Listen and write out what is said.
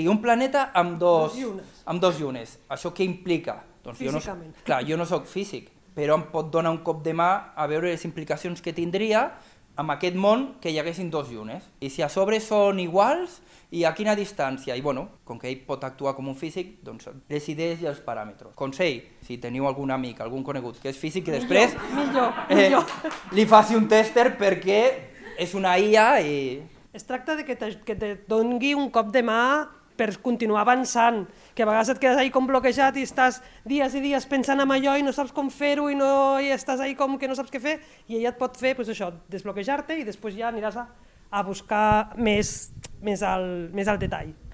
I un planeta amb dos llunes. llunes. Això què implica? Doncs Físicament. Clar, jo no soc físic, però em pot donar un cop de mà a veure les implicacions que tindria amb aquest món que hi haguessin dos llunes. I si a sobre són iguals i a quina distància. I bueno, com que ell pot actuar com un físic, doncs les idees i els paràmetres. Consell, si teniu algun amic, algun conegut que és físic, que després Millor. li faci un tèster perquè és una IA i... Es tracta de que te doni un cop de mà per continuar avançant, que a vegades et quedes ahí com bloquejat i estàs dies i dies pensant en allò i no saps com fer-ho i estàs ahí com que no saps què fer, i ella et pot fer això, desbloquejar-te i després ja aniràs a buscar més al detall.